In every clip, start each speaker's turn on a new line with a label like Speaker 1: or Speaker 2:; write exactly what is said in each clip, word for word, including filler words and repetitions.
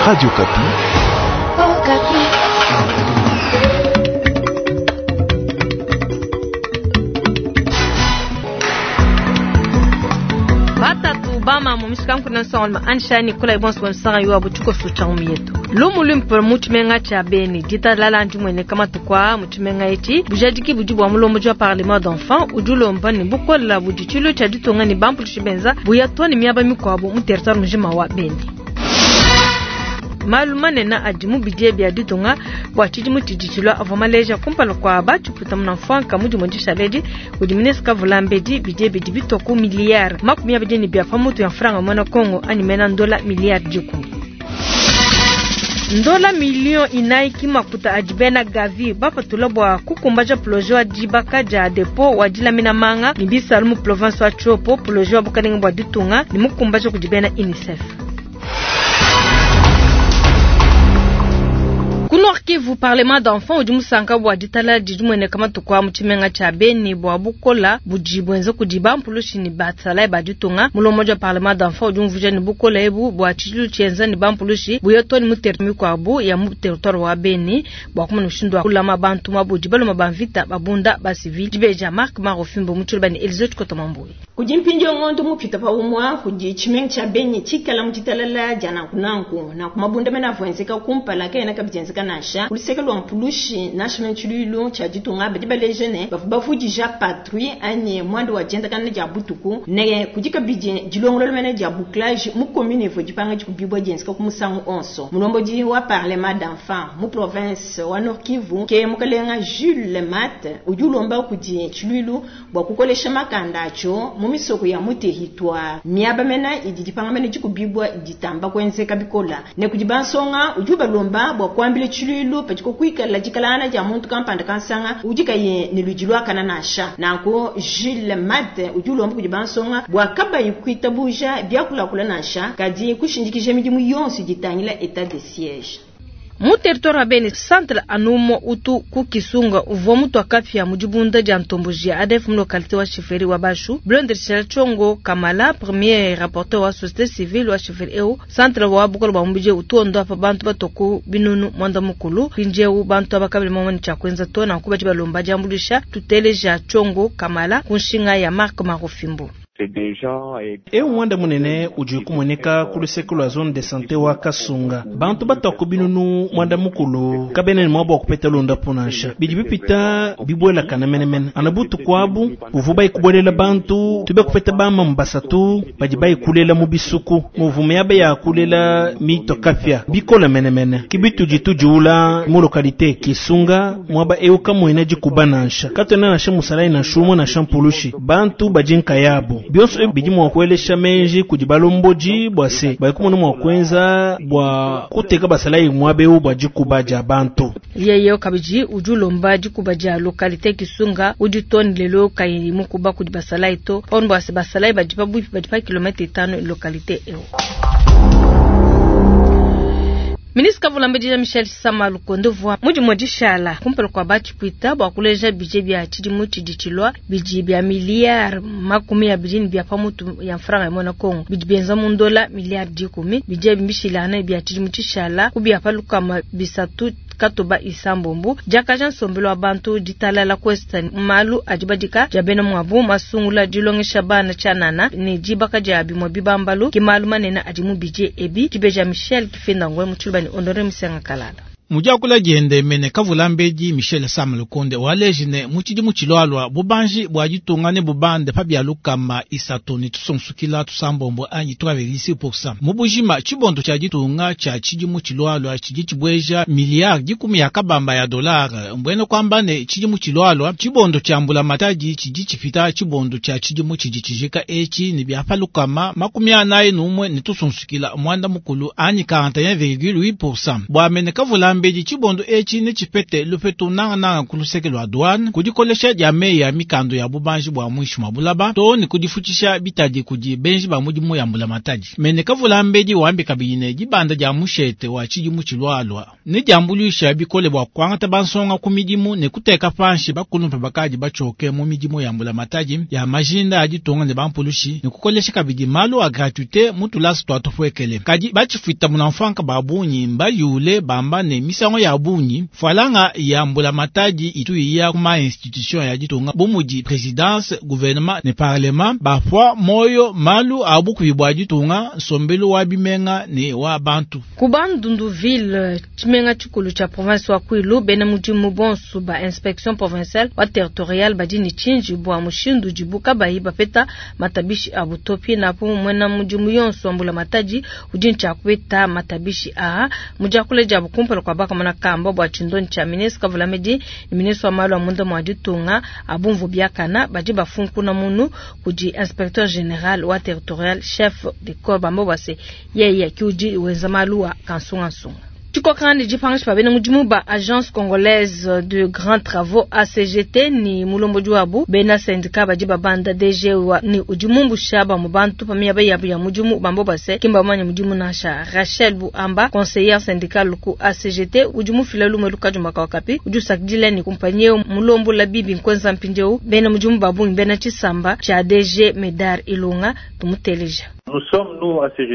Speaker 1: Radio Okapi.
Speaker 2: Oh,
Speaker 3: Batatu bama mu mishikanku nsonga anshani kula ibonso bonsanga yuwa buchuko sucha yetu lumu luimpe mu tshimenga tshia Beni ditalala ndimueneka matuku aa mu tshimenga etshi bujadiki budi bua mulombodi wa parlement d'enfants udi ulomba ne bukola budi tshilu tshia ditunga ne bampulushi benza buya to ne miaba mikuabu mu territoire mujima wa Beni. Malu manene adi mu bidie bia ditunga bua tshidimu tshidi tshilua avua maleja kumpala kua batshiputa munamfuanka mu dimue dishaledi kudi ministre Kavulambedi bidie bidi bitua ku miliyari makumi abidi ne bia pamutu ya mfranga muena Kongo anyi mena ndola miliyari dikumi. Ndola miliyo inayi ki makuta adi bena Gavi bapatula bua kukumbaja projet wa dibaka dia depo wa dilamina manga ne bisalu mu province wa Tshopo, projet wa bukalenge bua ditunga ne mukumbaja kudi bena UNICEF. Ku Nord Kivu, parlement d'enfants udi musanka bua ditalala didi mueneka matuku a mu tshimenga tshia Beni bua bukola budi buenza kudi bampulushi ne basalayi ba ditunga. Mulombodi wa parlement d'enfants udi umvuija ne bukola ebu bua tshidilu tshienza ne bampulushi buya to ne mu territoire mikuabu ya mu territoire wa Beni bua kumona mushindu wa kulama bantu mabudi baluma ba mvita babunda ba civil. Dibeja Marc Marofimbo mu tshiluba ne Elise Chikoto-Mambuyi.
Speaker 4: Kudi mpindieu ngondo mupita pa umua kudi tshimenga tshia Beni tshikala mu ditalala dia nankunanku nanku mabunda mene avua enzeka kumpala kaena kabidi enzeka nansha kuluseke lua mpulushi nansha mene tshiluilu tshia ditunga badi baleja ne bavua bavudija patrouille anyi mwanda wa diendakana dia butuku ne kudi kabidi dilongolola mene dia bouclage mu commune ivua dipanga dikubibua dienzeka ku musangu onso. Mulombodi wa parlement d'enfants mu province wa Nord Kivu ke mukalenga Jules Mat udi ulomba kudi tshiluilu bua kukolesha makanda atshio mu misoko ya mu territoire miaba mena idi dipanga mene dikubibua ditamba kuenzeka bikola ne kudi bansonga udi ubalomba bua kuambila tshiluilu padiko kuikala dikalana dia muntu kampanda kansanga udi kaye ne ludi luakana nansha. Nanku Jules Mat udi ulomba kudi bansonga bua kabayi kuitabuja biakulakula nansha kadi kushindikija midimu yonso ditangila état de siège.
Speaker 3: Mu territoire wa Beni centre anumo utu ku Kisunga uvua mutu akapia mu dibunda dia ntomboji ya A D F mu localité wa chefferie wa Bashu. Blondre Chongo Kamala premier rapporteur wa société civile wa chefferie eu centre wa bukolo bwa mubije utu ondo apa bantu batoku binunu mwanda mukulu mpindieu bantu abakabili momoni tshia kuenza to nanku badi balomba diambuluisha tuteleja Chongo Kamala ku nshinga ya Marc Marofimbo.
Speaker 5: Eu mwanda munene udi kumueneka ku luseke lua zone de santé wa Kasunga bantu batoku binunu mwanda mukulu kabene ne mwabo wa kupeta londapo nansha bidi bipita bibuelakana menemene ana butuku abu buvu bayikubuelela bantu tube kupeta bamamu basatu badi bayikulela mu bisuku muvu miaba ya kulela mito kapia bikola menemene kibitu tudiula mu localité Kisunga mwaba eu kamuena dikuba nansha katwena nansha musalayi nansha umue nansha mpulushi bantu badi nkayabu bionso ebi bidi mua kuelesha menji kudi balombodi bua se balikumona mua kuenza bua kuteka basalayi muaba eu bua dikuba dia bantu.
Speaker 3: Yeye kabidi udi ulomba dikuba dia localité Kisunga udi toni lelo kayi mukuba kudi basalayi to pano bua se basalayi badi pabuipi badi pa kilomètre itano localité eu. Ministre Kavulambedi Michel Sama Lukonde vua mudimu dishala kumpala kua batshipuita bua kuleja budget bia tshidimu tshidi tshilua bidi bia miliyari makumi abidi ne bia pamutu ya mfranga ya muena Kongo bidi bienza mu ndola miliyari dikumi bidi bishilana bia tshidimu tshishala ku bia palukama bisatu katoba isambombo diakaja nsombelo wa bantu ditalala kwesta malu adi badika dia bena muabu masungula dilongesha bana tshianana ne dibaka dia bimue bibambalu ke malu manene adi mu budget ebi dibeja Michel Kifenda Ngwe mu tshiluba ne Honore Misenga Kalala.
Speaker 6: Mudiakula diende mene Kavulambedi Michel Sam Lukonde waleji ne mu tshidimu tshilualua bubanji bua ditunga ne bubande pa bia lukama isatu ne tusunsukila tusambombo anyi trois virgule six pour cent mu bujima tshibondo tshia ditunga tshia tshidimu tshilualua tshidi tshibueja miliyari dikumi ya kabamba ya dolare mbwene kuamba ne tshidimu tshilualua tshibondo tshia mbulamatadi tshidi tshipita tshibondo tshia tshidimu tshidi tshijika etshi ne bia pa lukama makumi anayi n'umue ne tusunsukila mwanda mukulu anyi quarante et un virgule huit pour cent bua mene Kavulambedi Kavulambedi tshibondo etshi netshipete lupetu nangananga ku luseke lua douane, ku dikolesha dia meyi ya mikando ya bubanji bua muinshi mua bulaba to ne kudifutshisha bitadi kudi benji ba mudimu ya mbulamatadi. Mene Kavulambedi wambi kabidi ne dibanda dia mushete wa tshidimu tshilualua ne diambuluisha bikole bua kuangata bansonga ku midimu ne kuteka panshi bakulumpe bakadi batshioke mu midimu ya mbulamatadi ya majinda a ditunga ne bampulushi ne kukolesha kabidi malu a gratuité mu tulasa tua tupuekele. Kadi batshifuita munamfanka ba bungi mbayule bamba ne misango ya bungi falanga ya mbulamatadi itu iya kuma institution ya ditunga bu mudi présidence, gouvernement ne parlement bapua moyo malu a bukubi bua ditunga nsombelu wa bimenga ne wa bantu.
Speaker 3: Ku Bandundu-ville tshimenga tshikulu tshia province wa Kwilu bena mudimu bonso ba inspection provinciale wa territoriale badi ne tshinji bua mushindu udibu kabayi bapeta matabishi abu to. Pinapu muena mudimu yonso wa mbulamatadi udi ne tshia kupeta matabishi aa mu diakula diabu kumpala kua bakamona kamba bua tshindonyi tshia ministre Kavulambedi ne ministre wa malu a munda mua ditunga abumvu biakana badi bafunkuna munu kudi inspecteur général wa territorial chef de corps bamba bua se yeye ke udi wenza malu a kansungansunga. Tshikokanga dipangisha pa bena mudimu ba agence congolaise de grands travaux A C G T ni mulombodi wabu bena syndicat badi babanda D G wa ni udi mumbusha ba mu bantu pa miaba yabu ya mudimu bamba bua se kimba bamanya mudimu nansha. Rachel Buamba, conseillère syndicale ku A C G T, udi mufila lumu lukadi wakapi udi usakidila ni kumpanyie mulombola bibi nkwenza mpindieu bena mudimu ba bungi bena tshisamba tshia D G Medar Ilunga. Tumuteleja.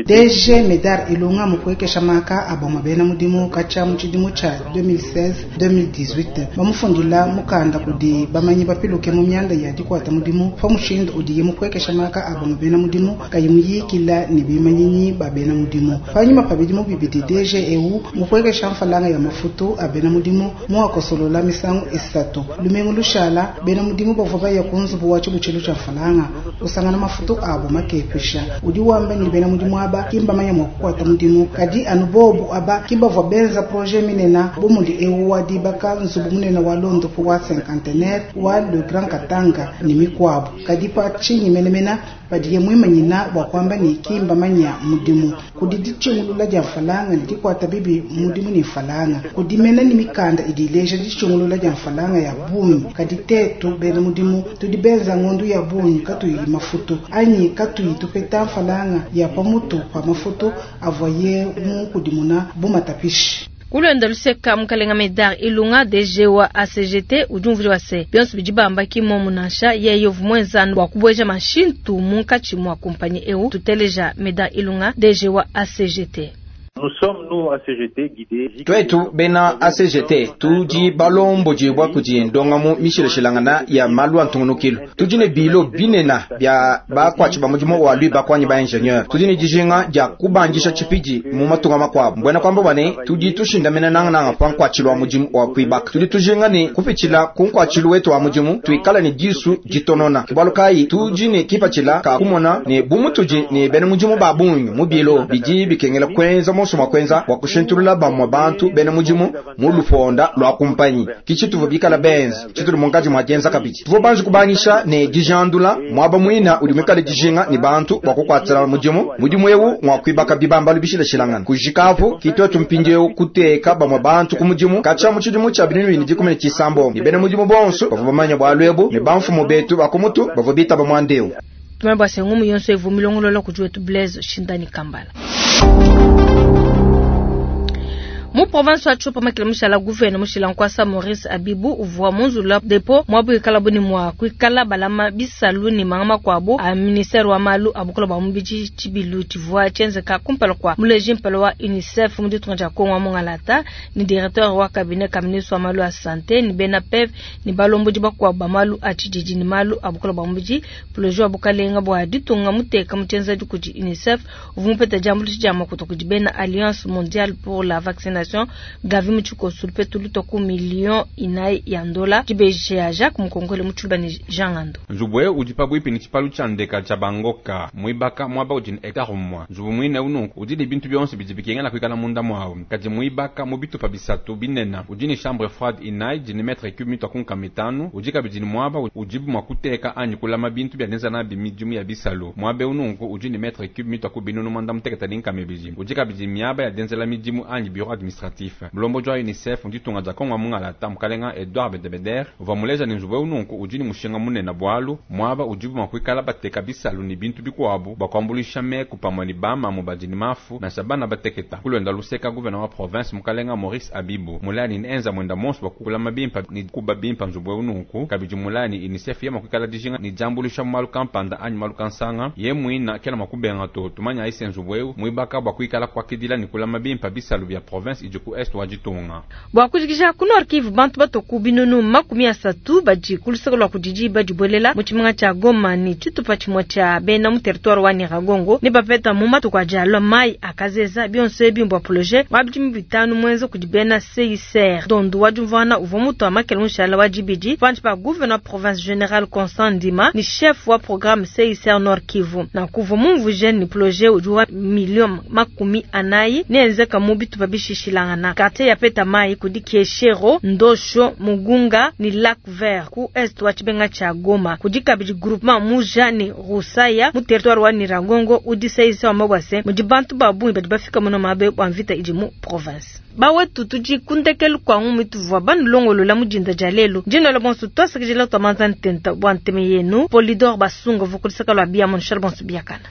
Speaker 1: D G Medar Ilunga mukuekesha maka aboma bena mudimu katshia mu tshidimu tshia deux mille seize deux mille dix-huit bamufundila mukanda kudi bamanyi bapiluke mu mianda ya dikuata mudimu pa mushindu udiye mukuekesha maka aboma bena mudimu kayi muyikila ne bimanyinyi ba bena mudimu. Panyima pa bidimu bibidi D G eu mukuekesha mfalanga ya mafutu a bena mudimu muakosolola misangu isatu. Lumingu lushala bena mudimu bavua baya ku nzubu wa tshibutshilu tshia mfalanga kusangana mafutu abo makepesha. Udi wamba ni bena mudimu aba kimbamanya mua kukuata mudimu kadi anu bobu aba kimbavua benza projet minena bu mudi eu wa dibaka nzubu munene wa londopo wa cinquantenaire wa le Grand Katanga ne mikuabu. Kadi pa tshinyi menemena padiye muimanyina bua kuamba ni kimbamanya mudimu? Kudi ditshingulula dia mfalanga ne dikuata bibi mudimu ne mfalanga kudi mena ni mikanda idi ileja ditshingulula dia mfalanga ya bungi. Kadi tetu bena mudimu tudi benza ngondu ya bungi katuyi mafutu anyi katuyi tupeta mfalanga ya pamutu pa mafutu avuaye mukudimuna bu matapishi.
Speaker 3: Kulwenda luseka mukalenga Medar Ilunga, D G wa A C G T, udi umvula wa se bionso bidi bamba kimomu nansha yeye uvua muenzanu bua kubueja mashintu munkatshi mua kumpanyi eu. Tuteleja Medar Ilunga, D G wa A C G T.
Speaker 7: Twetu bena A C G T tudi balombodibwa kudi ndongamu mishilashilangana ya malu a ntungunukilu. Tudi ne bilo binena bia bakwatshi ba mudimu wa lui bakwanyi ba ingénieur. Tudi ne dijinga dia kubandisha tshipidi mu matunga makuabu mbwena kwamba bwane tudi tushindamena nangananga pa nkuatshilu wa mudimu wa kuibaka. Tudi tujinga ne kupitshila ku nkuatshilu wetu wa mudimu tuikala ne disu ditonona kibualu kayi tudi ne kipatshila ka kumona ne bumutudi ne bena mudimu ba bungi mu bilo bidi bikengela kwenza monso mua kwenza bua kushintulula bamue bantu bena mudimu mu luponda lua kumpanyi kichi tuvua bikala benza tshitudi munkatshi mua dienza kabidi tuvua banji kubangisha ne dijandula muaba muina udi muikale dijinga ne bantu bua kukuatshila mudimu. Mudimu eu ngua kuibaka bibambalu bishilashilangana kujikapu kitwetu mpindieu kuteka bamue bantu ku mudimu katshia mu tshidimu tshia binunu bibili dikumi ne tshisambombo ne bena mudimu bonso bavua bamanya bualu ebu ne bamfumu betu ba ku mutu bavua bitaba muanda eu.
Speaker 3: Tumanye bua se ngumu yonso evu milongolola kudi wetu Blaise Shindani Kambala. Mu province wa Tshopo makila mushala gouverneur mushila nkwasa Maurice Abibu uvua munzula depo mwabu ikala buni mwa kuikala balama bisalu ni manga makuabu a ministère wa malu abukola bua mubidi. Tshibilu tshivua tshienzeka kumpala kua muleji mpala wa UNICEF mu ditunga dia Kongo wa Mungalata ni directeur wa cabinet ka ministre wa malu a santé ni bena P E V ni balombodi bakuabu ba malu a tshididi ni malu abukola bua mubidi. Projet wa bukalenga bua ditunga muteka mu tshienzedi kudi UNICEF uvua mupeta diambuluisha dia makuta kudi bena Alliance mondiale pour la vaccination Gavi mu tshikoso lupetu lutua ku million inayi ya ndola. Dibeji ya Jacques Mukongole mu tshiluba ne Jean Ngando.
Speaker 8: Nzubu eu udi pabuipi ne tshipalu tshia ndeka tshia bangoka muibaka muaba udi ne hectare umue. Nzubu muine ununku udi ne bintu bionso bidi bikengela kuikala munda muawu kadi muibaka mu bitupa bisatu binene. Udi ne chambre froide inayi di ne mètre cube mitua ku nkama itanu. Udi kabidi ne muaba udibu mua kuteka anyi kulama bintu bia dienza nabi midimu ya bisalu. Muaba eu nunku udi ne mètre cube mitua ku binunu muanda mutekete ne nkama ibidi. Udi kabidi miaba ya dienzela midimu anyi bureau administratif. administratif. Mulomboji wa UNICEF mu ditunga dia Kongo mungalata mukalenga Edouard Bedebeder uvua muleja ne nzubu eu nunku udi ne mushinga munene bualu muaba udibu mua kuikala bateka bisalu ne bintu bikuabu bua kuambuluisha meku pamue ne bamamu badi ne mafu nansha bana bateketa. Kulwenda luseka gouverneur wa province mukalenga Maurice Abibu mulani ne enza mwenda monso bua kukulama bimpa ne kuba bimpa nzubu eu nunku kabidi mulani UNICEF ye mua kuikala dijinga ne diambuluisha mu malu kampanda anyi malu kansanga ye muina kena mua kubenga to tumanya ise nzubu eu muibaka bua kuikala kuakidila ne kulama bimpa bisalu bia province idi ku est wa ditunga.
Speaker 3: Bua kujikija ku Nord Kivu bantu batoku binunu makumi asatu badi ku luseke lua kudidi badibuelela mu tshimenga tshia Goma ne tshitupa tshimue tshia bena mu territoire wa Nyiragongo ne bapeta mu matuku adi alua mayi akazeza bionso ebi mbua projet wa bidimu bitanu muenza kudi bena C I C R dondu wa diumvuana uvua mutu wa makele mushala wa dibidi panshi pa gouverneur province général Constant Ndima ni chef wa programme C I C R Nord Kivu na kuvua mumvuje ni projet udi wa milioni makumi anayi neenzeka mu bitupa bishishilangana quartier ya peta mayi kudi Kieshero Ndosho Mugunga ni Lac Vert ku est wa tshibenga tshia Goma kudi kabidi groupement Muja ni Rusaya mu territoire wa Nyiragongo udi C I C R wa Mabwase mudi bantu babungi badi bafika muno mabe bua mvita idi mu province. Bawetu tudi kundekelu kwa ngumi tuvua banulongolola mujinda dia lelo ndino la bonso twasakijila twamanza ntenta bua nteme yenu Polidor Basunga vukulisaka lwa bia monshal bonso biakana.